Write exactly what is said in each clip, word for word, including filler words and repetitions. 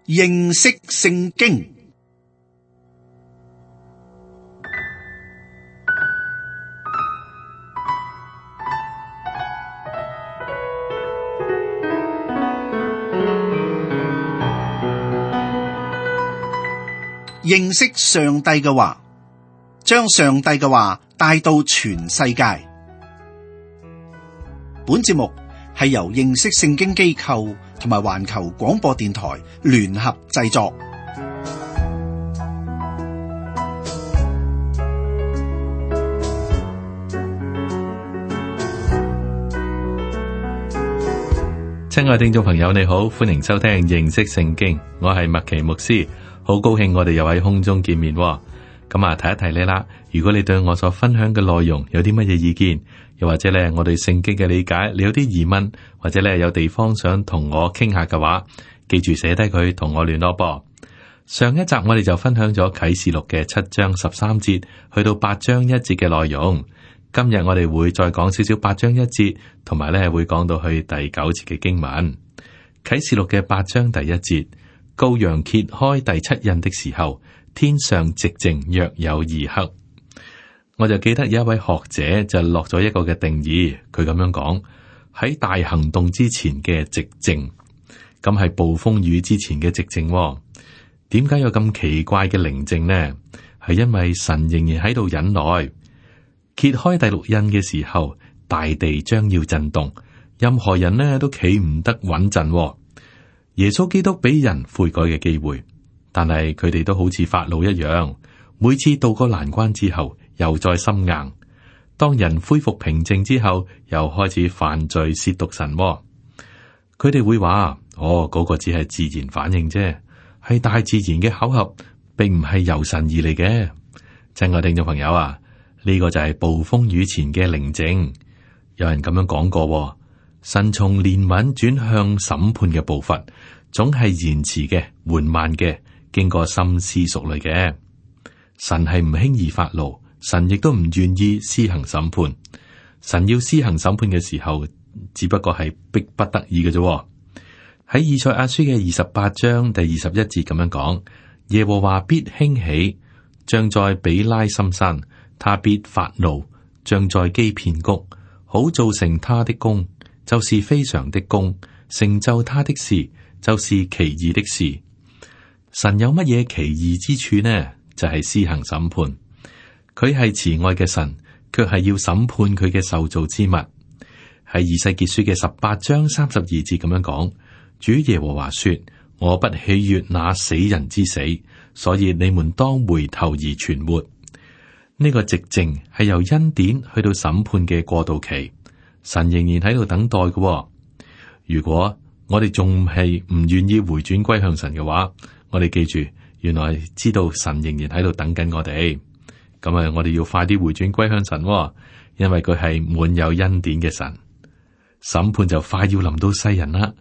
認識聖經。認識上帝嘅話，將上帝嘅話帶到全世界。本節目係由認識聖經機構同埋環球廣播電台聯合製作。親愛聽眾朋友，你好，歡迎收聽認識聖經，我係麥奇牧師。好高興我哋又喺空中見面，咁啊提一提你啦。如果你對我所分享嘅內容有啲乜嘢意見，又或者咧我對聖經嘅理解你有啲疑問，或者咧有地方想同我傾下嘅話，記住寫低佢同我聯絡噃。上一集我哋就分享咗啟示錄嘅七章十三節去到八章一節嘅內容，今日我哋會再講少少八章一節，同埋咧會講到去第九節嘅經文。啟示錄嘅八章第一節。羔羊揭開第七印的時候，天上寂靜約有二刻。我就記得有一位學者就落咗一個嘅定義，佢咁樣講：喺大行動之前嘅寂靜，咁係暴風雨之前嘅寂靜。點解有咁奇怪嘅寧靜呢？係因為神仍然喺度忍耐。揭開第六印嘅時候，大地將要震動，任何人呢都企唔得穩陣。耶穌基督俾人悔改嘅機會，但係佢哋都好似法老一樣，每次渡過難關之後，又再心硬。當人恢復平靜之後，又開始犯罪褻瀆神。佢哋會話：哦，嗰個只係自然反應啫，係大自然嘅巧合，並唔係由神而嚟嘅。親愛聽眾朋友啊，呢個就係暴風雨前嘅寧靜。有人咁樣講過。神從憐憫轉向審判嘅步伐，總係延遲嘅、緩慢嘅，經過深思熟慮嘅。神係唔輕易發怒，神亦都唔願意施行審判。神要施行審判嘅時候，只不過係逼不得已嘅啫。喺以賽亞書嘅二十八章第二十一節咁樣講：耶和華必興起，像在比拉心山，他必發怒，像在基遍谷，好造成他的功。就是非常的功，成就他的事，就是奇異的事。神有乜嘢奇異之處呢？就係、是、施行審判。佢係慈愛嘅神，卻係要審判佢嘅受造之物。喺以西結書嘅十八章三十二節咁樣講：主耶和華說，我不喜悅那死人之死，所以你們當回頭而存活。呢、這個寂靜係由恩典去到審判嘅過渡期。神仍然喺度等待嘅、哦。如果我哋仲係唔願意回轉歸向神嘅話，我哋記住，原來知道神仍然喺度等緊我哋。咁啊，我哋要快啲回轉歸向神、哦，因為佢係滿有恩典嘅神。審判就快要臨到世人啦。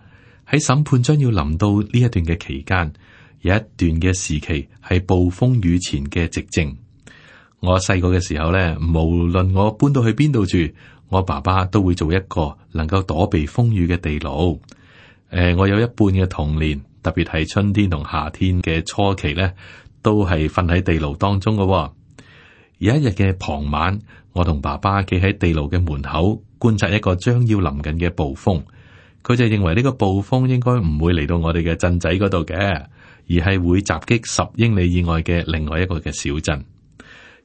喺審判將要臨到呢一段嘅期間，有一段嘅時期係暴風雨前嘅寂靜。我細個嘅時候咧，無論我搬到去邊度住，我爸爸都會做一個能夠躲避風雨嘅地牢。誒、呃，我有一半嘅童年，特別係春天同夏天嘅初期咧，都係瞓喺地牢當中嘅、哦。有一日嘅傍晚，我同爸爸企喺地牢嘅門口觀察一個將要臨近嘅暴風。佢就認為呢個暴風應該唔會嚟到我哋嘅鎮仔嗰度嘅，而係會襲擊十英里以外嘅另外一個嘅小鎮。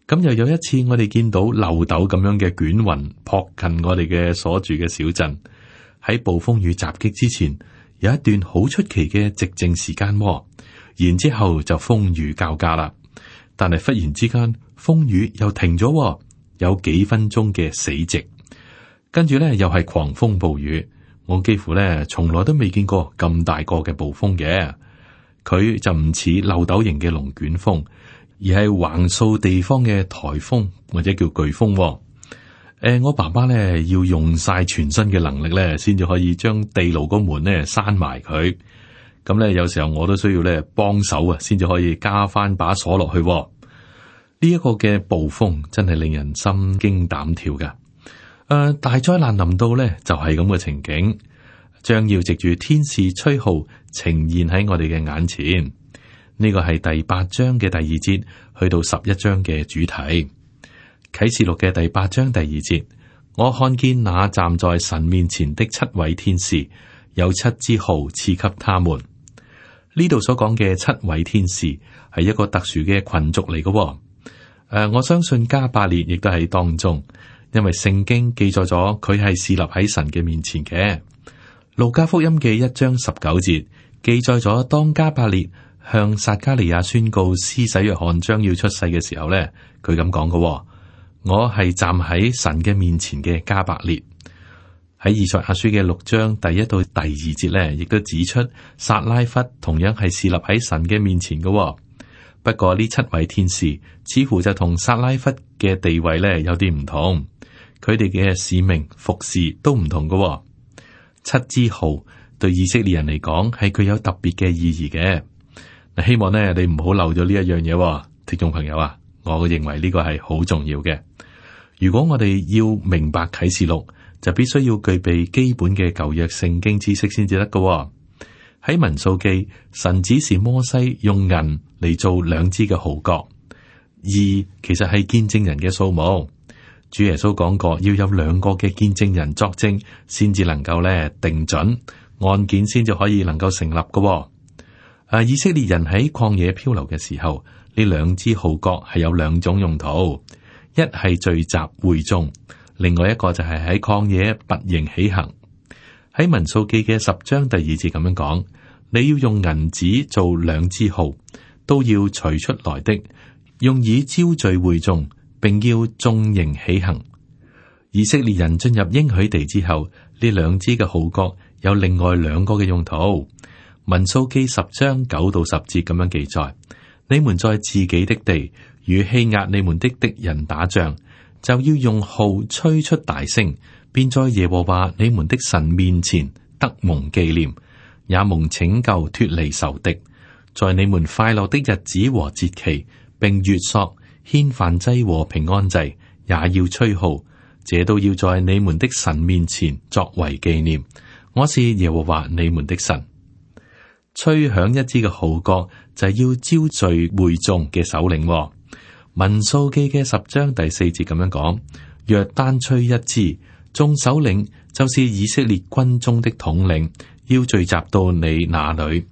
咁又有一次，我哋見到漏斗咁樣嘅捲雲撲近我哋嘅所住嘅小鎮。喺暴風雨襲擊之前，有一段好出奇嘅寂靜時間，然之後就風雨交加啦。但係忽然之間，風雨又停咗，有幾分鐘嘅死寂。跟住咧，又係狂風暴雨。我幾乎咧從來都未見過咁大個嘅暴風嘅。佢就唔似漏斗型嘅龍捲風，而係橫掃地方嘅颱風或者叫颶風。誒、呃，我爸爸咧要用晒全身嘅能力咧，先至可以將地牢個門咧閂埋佢。咁咧，有時候我都需要咧幫手啊，先至可以加翻把鎖落去。呢、這、一個嘅暴風真係令人心驚膽跳噶。誒、呃，大災難臨到咧，就係咁嘅情景，將要藉住天使吹號呈現喺我哋嘅眼前。呢個係第八章嘅第二節去到十一章嘅主題。啟示錄嘅第八章第二節，我看見那站在神面前的七位天使，有七支號賜給他們。呢度所講嘅七位天使係一個特殊嘅群族嚟嘅。誒、呃，我相信加百列亦都喺當中，因為聖經記載咗佢係侍立喺神嘅面前嘅。路加福音嘅一章十九節記載咗，當加百列向撒迦利亞宣告施洗約翰將要出世嘅時候咧，佢咁講嘅：我係站喺神嘅面前嘅加百列。喺以賽亞書嘅六章第一到第二節咧，亦都指出撒拉弗同樣係侍立喺神嘅面前嘅。不過呢七位天使似乎就同撒拉弗嘅地位咧有啲唔同，佢哋嘅使命服侍都唔同嘅。七支號對以色列人嚟講係具有特別嘅意義嘅。嗱，希望咧你唔好漏咗呢一樣嘢，聽眾朋友啊，我認為呢個係好重要嘅。如果我哋要明白啟示錄，就必須要具備基本嘅舊約聖經知識先至得㗎。喺民數記，神指示摩西用銀嚟做兩支嘅號角，二其實係見證人嘅數目。主耶穌講過，要有兩個嘅見證人作證，先至能夠咧定準案件，先至可以能夠成立㗎。啊，以色列人喺曠野漂流嘅時候，呢兩支號角係有兩種用途，一係聚集會眾，另外一個就係喺曠野拔營起行。喺民數記嘅十章第二節咁樣講，你要用銀子做兩支號，都要取出來的，用以招聚會眾，並要眾營起行。以色列人進入應許地之後，呢兩支嘅號角有另外兩個嘅用途。民數記十章九到十節咁樣記載：你們在自己的地與欺壓你們的敵人打仗，就要用號吹出大聲，便在耶和華你們的神面前得蒙紀念，也蒙拯救脫離仇敵。在你們快樂的日子和節期，並月朔、獻燔祭和平安祭，也要吹號，這都要在你們的神面前作為紀念。我是耶和華你們的神。吹響一支嘅號角就係要招聚會眾嘅首領。民數記嘅十章第四節咁樣講：若單吹一支，眾首領就是以色列軍中的統領，要聚集到你那裏。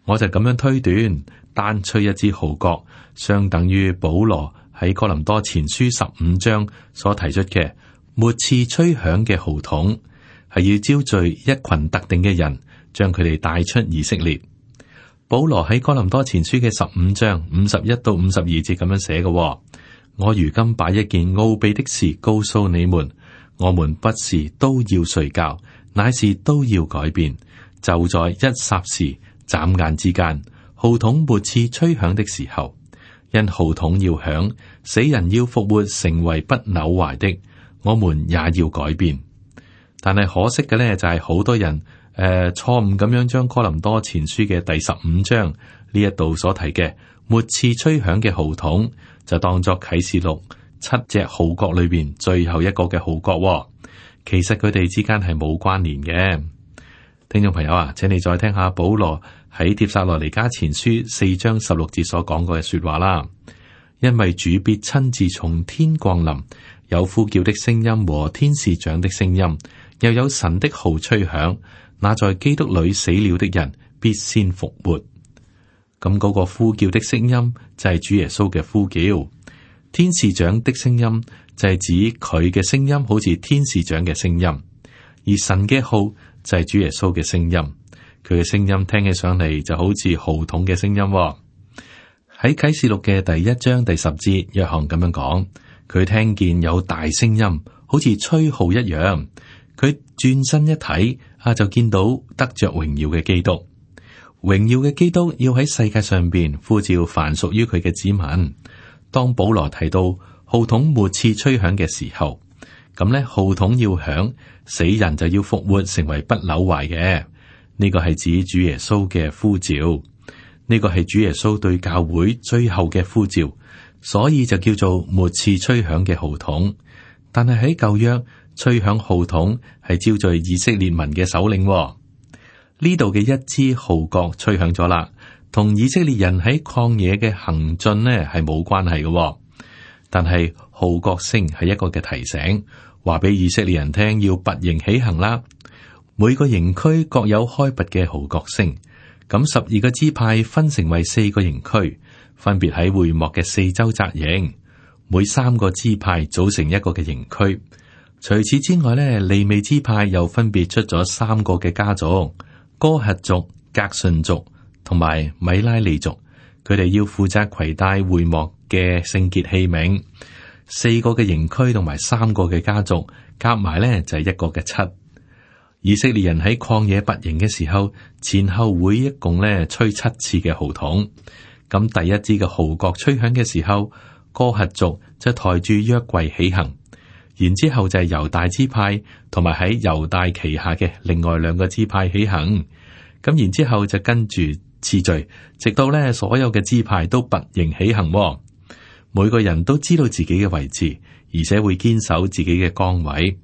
我就咁樣推斷，單吹一支號角，相等於保羅喺哥林多前書十五章所提出嘅末次吹響嘅號筒，係要招聚一群特定嘅人，將佢哋帶出以色列。保羅喺哥林多前書嘅十五章五十一到五十二節咁樣寫嘅：我如今把一件奧秘的事告訴你們，我們不是都要睡覺，乃是都要改變。就在一霎時、眨眼之間，號筒末次吹響的時候，因號筒要響，死人要復活，成為不朽壞的，我們也要改變。但係可惜嘅呢，就係好多人。誒，錯誤咁樣將哥林多前書嘅第十五章呢一度所提嘅末次吹響嘅號筒，就當作啟示錄七隻號角裏邊最後一個嘅號角，哦。其實佢哋之間係冇關聯嘅。聽眾朋友啊，請你再聽下保羅喺帖撒羅尼迦前書四章十六節所講過嘅說話啦。因為主必親自從天降臨，有呼叫的聲音和天使長的聲音，又有神的號吹響。那在基督裏死了的人必先復活。咁嗰個呼叫的聲音就係主耶穌嘅呼叫，天使長的聲音就係指佢嘅聲音，好似天使長嘅聲音。而神嘅號就係主耶穌嘅聲音，佢嘅聲音聽起上嚟就好似號筒嘅聲音。喺啟示錄嘅第一章第十節，約翰咁樣講，佢聽見有大聲音，好似吹號一樣。佢轉身一睇，啊，就見到得着榮耀嘅基督。榮耀嘅基督要喺世界上邊呼召凡屬於佢嘅子民。當保羅提到號筒末次吹響嘅時候，咁咧號筒要響，死人就要復活，成為不朽壞嘅。呢個係指主耶穌嘅呼召，呢個係主耶穌對教會最後嘅呼召，所以就叫做末次吹響嘅號筒。但係喺舊約，吹響號筒係招聚以色列民嘅首領，呢呢度嘅一支號角吹響咗啦，同以色列人喺曠野嘅行進呢係冇關係嘅。但係號角聲係一個嘅提醒，話俾以色列人聽要拔營起行啦。每個營區各有開拔嘅號角聲，咁十二個支派分成為四個營區，分別喺會幕嘅四周紮營，每三個支派組成一個嘅營區。除此之外呢，利未支派又分別出咗三個嘅家族：哥轄族、革順族同埋米拉利族。佢哋要負責攜帶會幕嘅聖潔器皿。四個嘅營區同埋三個嘅家族夾埋呢就係一個嘅七。以色列人喺曠野拔營嘅時候，前後會一共呢吹七次嘅號筒。咁第一支嘅號角吹響嘅時候，哥轄族就抬住約櫃起行。然之後就係猶大支派同埋喺猶大旗下嘅另外兩個支派起行，咁然之後就跟住次序，直到咧所有嘅支派都拔營起行。每個人都知道自己嘅位置，而且會堅守自己嘅崗位。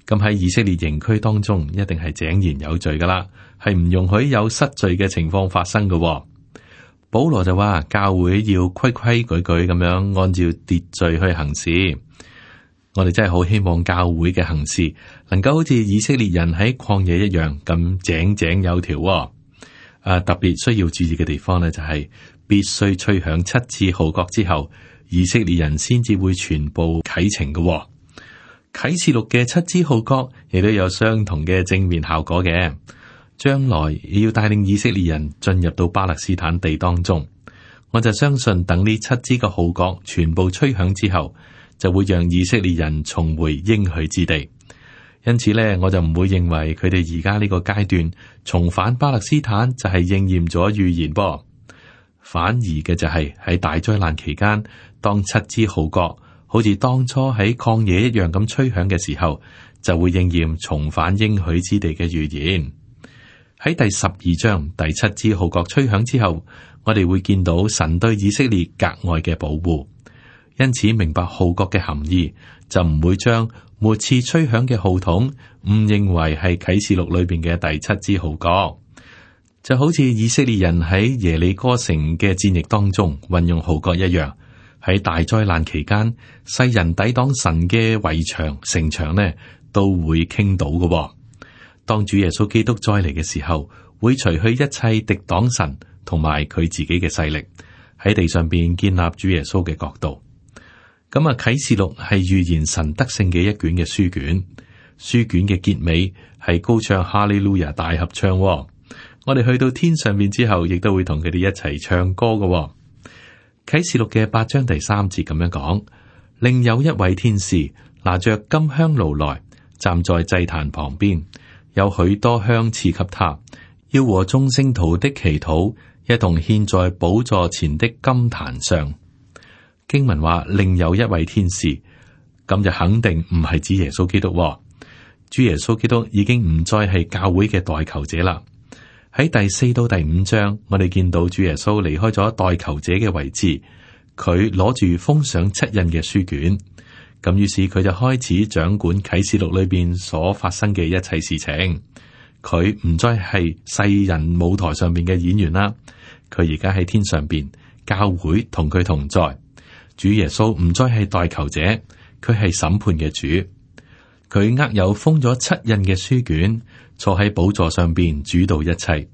咁喺以色列營區當中，一定係井然有序噶啦，係唔容許有失序嘅情況發生嘅。保羅就話教會要規規矩矩咁樣按照秩序去行事。我哋真係好希望教會嘅行事能夠好似以色列人喺曠野一樣咁井井有條。啊，特別需要注意嘅地方呢，就係必須吹響七次號角之後，以色列人先至會全部啟程嘅。啟示錄嘅七支號角亦都有相同嘅正面效果嘅，將來要帶領以色列人進入到巴勒斯坦地當中。我就相信等呢七支嘅號角全部吹響之後，就會讓以色列人重回應許之地，因此呢，我就唔會認為佢哋而家呢個階段重返巴勒斯坦就係應驗咗預言噃，反而嘅就係喺大災難期間，當七支號角好似當初喺曠野一樣咁吹響嘅時候，就會應驗重返應許之地嘅預言。喺第十二章第七支號角吹響之後，我哋會見到神對以色列格外嘅保護。因此明白號角嘅含義，就唔會將末次吹響嘅號筒誤認為係啟示錄裏邊嘅第七支號角，就好似以色列人喺耶利哥城嘅戰役當中運用號角一樣。喺大災難期間，世人抵擋神嘅圍牆城牆呢，都會傾倒嘅。當主耶穌基督再嚟嘅時候，會除去一切敵擋神同埋佢自己嘅勢力，喺地上邊建立主耶穌嘅國度。咁啊，啟示錄係預言神得勝嘅一卷嘅書卷，書卷嘅結尾係高唱哈利路亞大合唱。我哋去到天上面之後，亦都會同佢哋一齊唱歌嘅。啟示錄嘅八章第三節咁樣講，另有一位天使拿着金香爐來，站在祭壇旁邊，有許多香賜給他，要和眾聖徒的祈禱一同獻在寶座前的金壇上。經文話另有一位天使，咁就肯定唔係指耶穌基督。主耶穌基督已經唔再係教會嘅代求者啦。喺第四到第五章，我哋見到主耶穌離開咗代求者嘅位置，佢攞住封上七印嘅書卷，咁於是佢就開始掌管啟示錄裏邊所發生嘅一切事情。佢唔再係世人舞台上邊嘅演員啦，佢而家喺天上邊，教會同佢同在。主耶穌唔再係代求者，佢係審判嘅主。佢握有封咗七印嘅書卷，坐喺寶座上邊主導一切。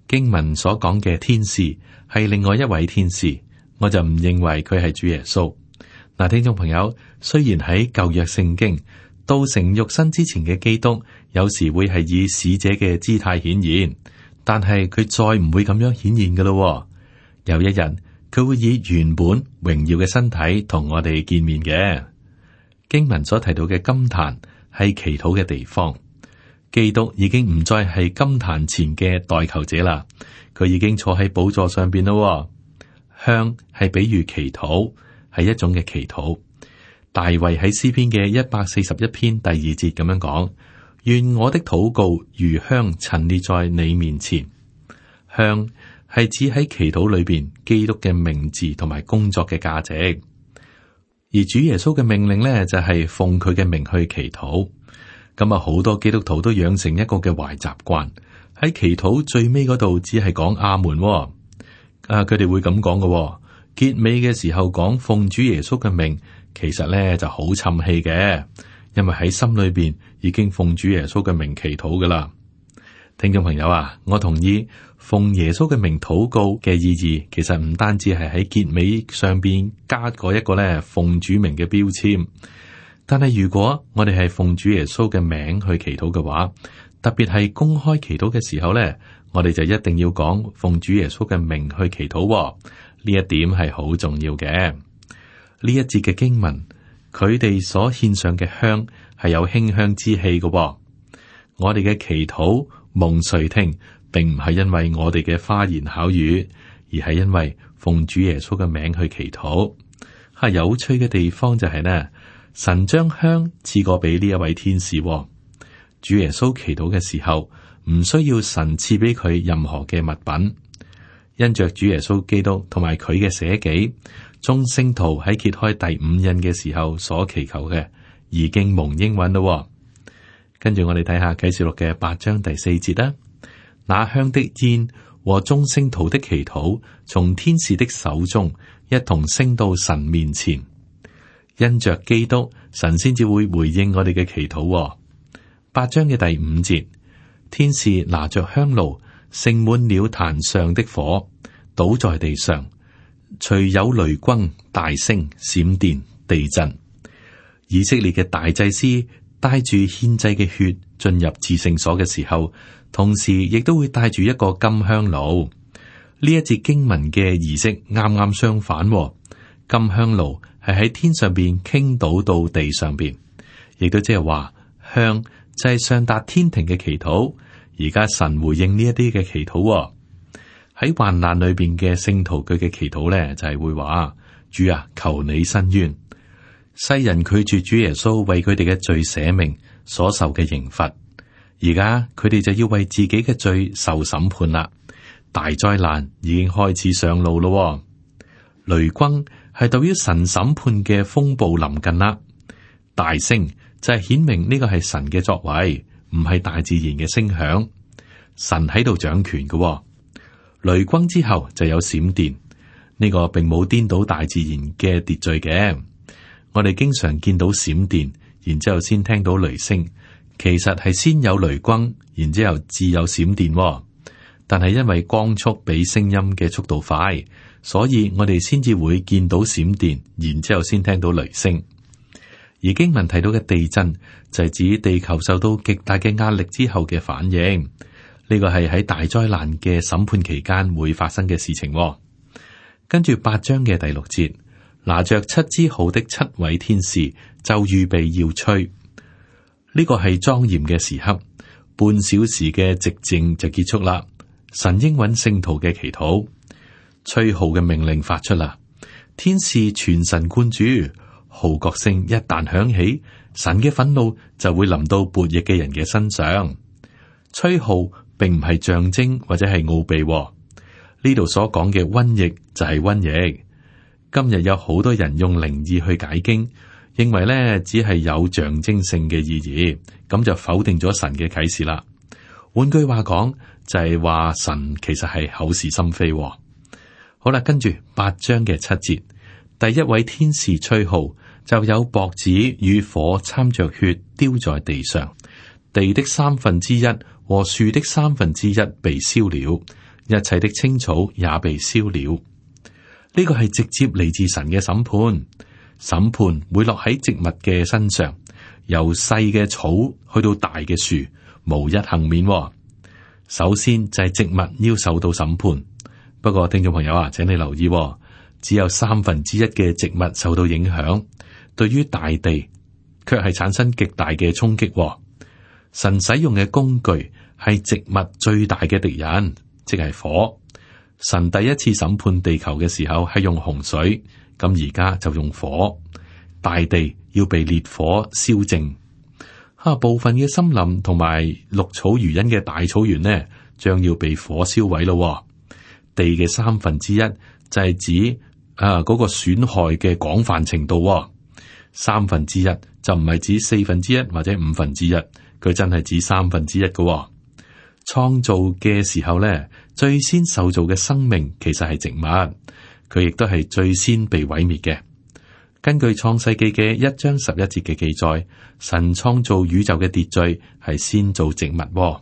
經文所講嘅天使係另外一位天使，我就唔認為佢係主耶穌。嗱，聽眾朋友，雖然喺舊約聖經道成肉身之前嘅基督，有時會係以使者嘅姿態顯現，但係佢再唔會咁樣顯現噶咯。有一日，佢會以原本榮耀嘅身體同我哋見面嘅。經文所提到嘅金壇係祈禱嘅地方，基督已經唔再係金壇前嘅代求者啦，佢已經坐喺寶座上邊咯。香係比喻祈禱，係一種嘅祈禱。大衛喺詩篇嘅一百四十一篇第二節咁樣講：願我的禱告如香陳列在你面前。香係指喺祈禱裏邊基督嘅名字同埋工作嘅價值，而主耶穌嘅命令呢，就係奉佢嘅名去祈禱。咁啊，好多基督徒都養成一個嘅壞習慣，喺祈禱最尾嗰度只係講阿門、哦。啊，佢哋會咁講嘅，結尾嘅時候講奉主耶穌嘅名，其實咧就好沉氣嘅，因為喺心裏邊已經奉主耶穌嘅名祈禱噶啦。聽眾朋友啊，我同意奉耶穌嘅名禱告嘅意義，其實唔單止係喺結尾上邊加過一個咧奉主名嘅標籤，但係如果我哋係奉主耶穌嘅名去祈禱嘅話，特別係公開祈禱嘅時候咧，我哋就一定要講奉主耶穌嘅名去祈禱、哦，呢一點係好重要嘅。呢一節嘅經文，佢哋所獻上嘅香係有馨香之氣嘅、哦。我哋嘅祈禱蒙垂聽，並唔係因為我哋嘅花言巧語，而係因為奉主耶穌嘅名去祈禱。係有趣嘅地方就係呢，神將香賜過俾呢一位天使、哦。主耶穌祈禱嘅時候，唔需要神賜俾佢任何嘅物品，因着主耶穌基督同埋佢嘅捨己，眾聖徒喺揭開第五印嘅時候所祈求嘅，已經蒙應允咯。跟住我哋睇下啟示錄嘅八章第四節啦。那香的煙和眾聖徒的祈禱，從天使的手中一同升到神面前，因着基督，神先至會回應我哋嘅祈禱。八章嘅第五節，天使拿着香爐，盛滿了壇上的火，倒在地上，隨有雷轟、大聲、閃電、地震。以色列嘅大祭司帶住獻祭嘅血進入至聖所嘅時候，同時亦都會帶住一個金香爐。呢一節經文嘅儀式啱啱相反，金香爐係喺天上邊傾倒到地上邊，亦都即係話香就係上達天庭嘅祈禱。而家神回應呢一啲嘅祈禱，喺患難裏邊嘅聖徒佢嘅祈禱咧，就係會話：主啊，求你伸冤。世人拒絕主耶穌為佢哋嘅罪捨命所受嘅刑罰，而家佢哋就要為自己嘅罪受審判啦。大災難已經開始上路咯。雷轟係代表神審判嘅風暴臨近啦。大聲就係顯明呢個係神嘅作為，唔係大自然嘅聲響。神喺度掌權嘅。雷轟之後就有閃電，呢個並冇顛倒大自然嘅秩序嘅。我哋經常見到閃電，然之後先聽到雷聲，其實係先有雷轟，然之後至有閃電。但係因為光速比聲音嘅速度快，所以我哋先至會見到閃電，然之後先聽到雷聲。而經文提到嘅地震就係指地球受到極大嘅壓力之後嘅反應，呢個係喺大災難嘅審判期間會發生嘅事情。跟住八章嘅第六節，拿着七支號的七位天使就預備要吹，呢個係莊嚴嘅時刻，半小時嘅寂靜就結束啦。神應允聖徒嘅祈禱，吹號嘅命令發出啦，天使全神貫注，號角聲一旦響起，神嘅憤怒就會臨到悖逆嘅人嘅身上。吹號並唔係象徵或者係奧秘，呢度所講嘅瘟疫就係瘟疫。今日有好多人用靈意去解經，認為咧只係有象徵性嘅意義，咁就否定咗神嘅啟示啦。換句話講，就係話神其實係口是心非。好啦，跟住八章嘅七節，第一位天使吹號，就有雹子與火摻着血丟在地上，地的三分之一和樹的三分之一被燒了，一切的青草也被燒了。呢個係直接嚟自神嘅審判，審判會落喺植物嘅身上，由細嘅草去到大嘅樹，無一幸免。首先就係植物要受到審判，不過聽眾朋友啊，請你留意，只有三分之一嘅植物受到影響，對於大地卻係產生極大嘅衝擊。神使用嘅工具係植物最大嘅敵人，即係火。神第一次審判地球嘅時候係用洪水，咁而家就用火，大地要被烈火燒淨。哈、啊，部分嘅森林同埋綠草如茵嘅大草原呢，將要被火燒毀咯。地嘅三分之一就係指啊嗰、那個損害嘅廣泛程度。三分之一就唔係指四分之一或者五分之一，佢真係指三分之一嘅。創造嘅時候咧，最先受造嘅生命其實係植物，佢亦都係最先被毀滅嘅。根據創世記嘅一章十一節嘅記載，神創造宇宙嘅秩序係先造植物，誒、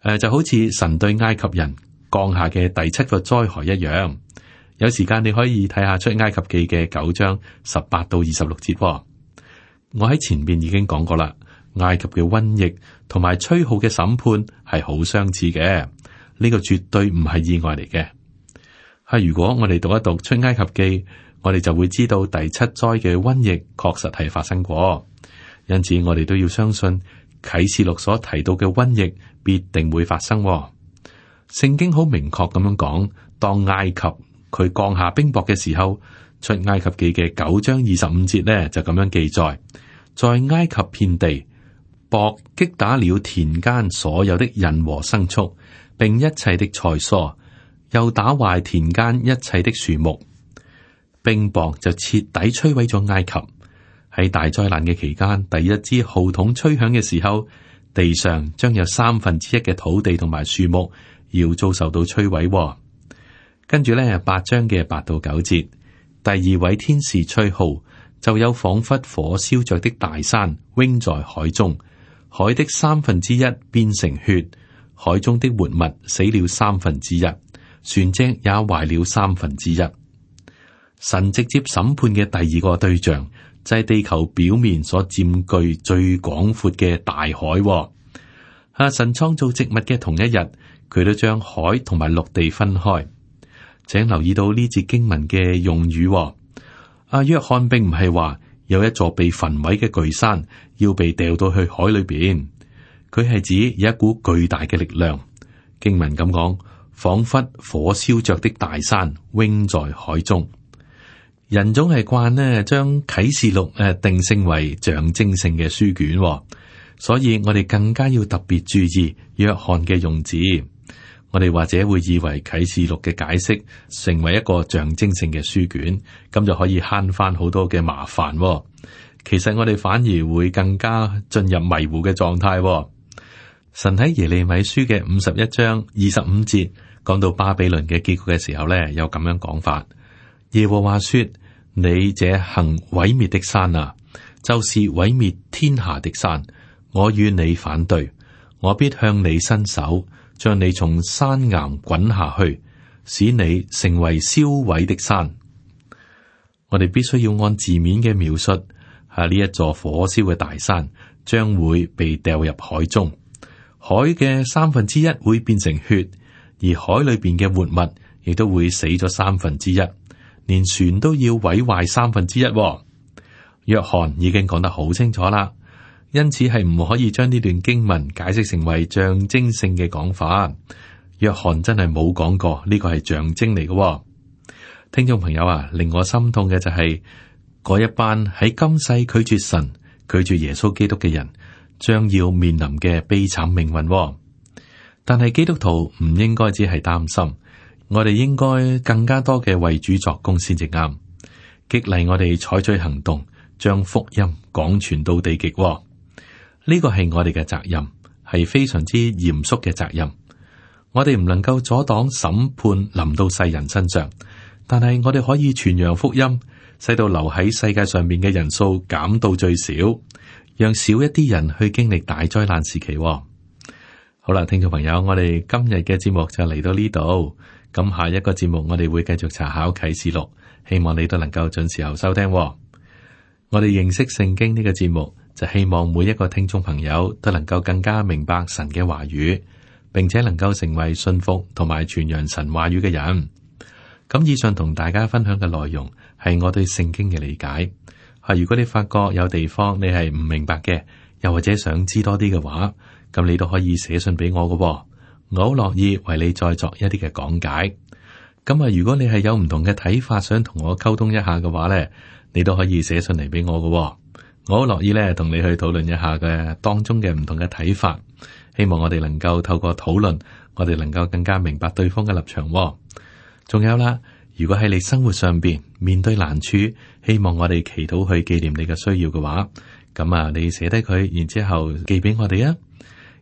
呃、就好似神對埃及人降下嘅第七個災害一樣。有時間你可以睇下出埃及記嘅九章十八到二十六節。我喺前面已經講過啦，埃及嘅瘟疫同埋吹號嘅審判係好相似嘅，呢、這個絕對唔係意外嚟嘅。係如果我哋讀一讀出埃及記，我哋就會知道第七災嘅瘟疫確實係發生過，因此我哋都要相信啟示錄所提到嘅瘟疫必定會發生。聖經好明確咁樣講，當埃及佢降下冰雹嘅時候，出埃及記嘅九章二十五節呢就咁樣記載，在埃及遍地，雹擊打了田間所有的人和牲畜，並一切的菜蔬，又打壞田間一切的樹木。冰雹就徹底摧毀咗埃及。喺大災難嘅期間，第一支號筒吹響嘅時候，地上將有三分之一嘅土地同埋樹木要遭受到摧毀。跟住咧，八章嘅八到九節，第二位天使吹號，就有仿佛火燒着的大山扔在海中，海的三分之一變成血，海中的活物死了三分之一，船隻也壞了三分之一。神直接審判嘅第二個對象就係地球表面所佔據最廣闊嘅大海。啊，神創造植物嘅同一日，佢都將海同埋陸地分開。請留意到呢節經文嘅用語。阿約翰並唔係話有一座被焚毀嘅巨山要被掉到去海裏邊，佢係指有一股巨大嘅力量。經文咁講，仿佛火燒着的大山扔在海中。人總係慣呢將啟示錄誒定性為象徵性嘅書卷，所以我哋更加要特別注意約翰嘅用字。我哋或者會以為啟示錄嘅解釋成為一個象徵性嘅書卷，咁就可以慳翻好多嘅麻煩。其實我哋反而會更加進入迷糊嘅狀態。神喺耶利米書嘅五十一章二十五節講到巴比倫嘅結局嘅時候呢，有咁樣講法：耶和華說，你這行毀滅的山啊，就是毀滅天下的山，我與你反對，我必向你伸手，將你從山岩滾下去，使你成為燒毀的山。我哋必須要按字面嘅描述，係呢一座火燒嘅大山將會被掉入海中，海嘅三分之一會變成血，而海裏邊嘅活物亦都會死咗三分之一，連船都要毀壞三分之一。約翰已經講得好清楚啦。因此係唔可以將呢段經文解釋成為象徵性嘅講法。約翰真係冇講過呢個係象徵嚟嘅。聽眾朋友啊，令我心痛嘅就係嗰一班喺今世拒絕神、拒絕耶穌基督嘅人，將要面臨嘅悲慘命運。但係基督徒唔應該只係擔心，我哋應該更加多嘅為主作工先至啱，激勵我哋採取行動，將福音廣傳到地極。呢個係我哋嘅責任，係非常之嚴肅嘅責任。我哋唔能夠阻擋審判臨到世人身上，但係我哋可以傳揚福音，使到留喺世界上面嘅人數減到最少，讓少一啲人去經歷大災難時期。好啦，聽眾朋友，我哋今日嘅節目就嚟到呢度。咁下一個節目我哋會繼續查考啟示錄，希望你都能夠準時候收聽。我哋認識聖經呢個節目，就希望每一個聽眾朋友都能夠更加明白神嘅話語，並且能夠成為信服同埋傳揚神話語嘅人。咁以上同大家分享嘅內容係我對聖經嘅理解。係如果你發覺有地方你係唔明白嘅，又或者想知多啲嘅話，咁你都可以寫信俾我嘅，我好樂意為你再作一啲嘅講解。咁啊，如果你係有唔同嘅睇法，想同我溝通一下嘅話咧，你都可以寫信嚟俾我嘅，我好樂意咧同你去討論一下嘅當中嘅唔同嘅睇法。希望我哋能夠透過討論，我哋能夠更加明白對方嘅立場。仲有啦，如果喺你生活上邊面對難處，希望我哋祈禱去紀念你嘅需要嘅話，咁啊，你寫低佢，然之後寄俾我哋啊。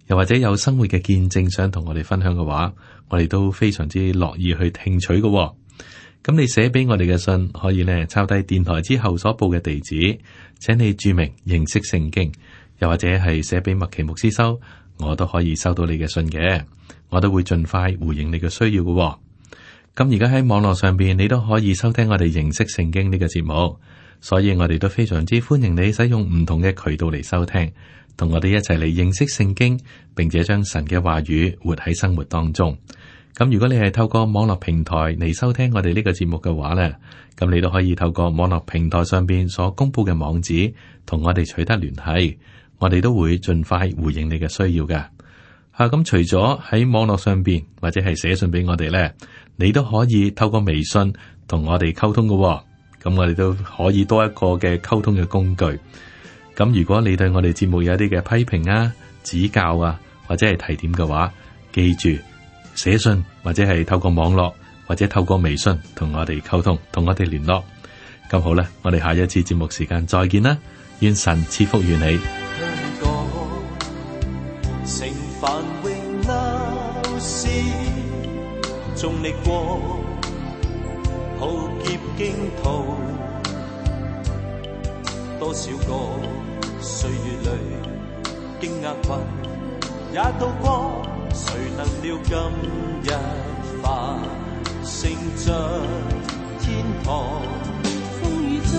又或者有生活嘅見證想同我哋分享嘅話，我哋都非常之樂意去聽取嘅、哦。咁你寫俾我哋嘅信，可以呢抄低電台之後所報嘅地址，請你注明認識聖經，又或者係寫俾麥奇牧師收，我都可以收到你嘅信嘅，我都會盡快回應你嘅需要嘅、哦。咁而家喺網絡上邊，你都可以收聽我哋認識聖經呢個節目，所以我哋都非常之歡迎你使用唔同嘅渠道嚟收聽，同我哋一齊嚟認識聖經，並且將神嘅話語活喺生活當中。咁如果你係透過網絡平台嚟收聽我哋呢個節目嘅話呢，咁你都可以透過網絡平台上邊所公布嘅網址，同我哋取得聯繫，我哋都會盡快回應你嘅需要嘅。吓、啊，咁除咗喺網絡上邊或者係寫信俾我哋呢，你都可以透過微信同我哋溝通嘅、哦。咁我哋都可以多一個嘅溝通嘅工具。咁如果你對我哋節目有一啲嘅批評啊、指教啊，或者係提點嘅話，記住寫信或者係透過網絡或者透過微信同我哋溝通，同我哋聯絡。咁好啦，我哋下一次節目時間再見啦，願神賜福於你。成繁榮鬧市，縱歷過浩劫驚濤，多少個歲月裏經厄困也渡過，誰能料今日繁盛着天堂？風雨中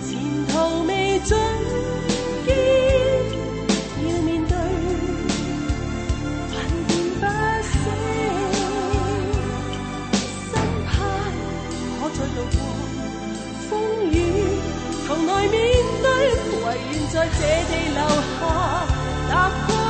前途未盡見，要面對萬變不息，心盼可再渡過風雨，頭來面對，唯願在這地留下踏過。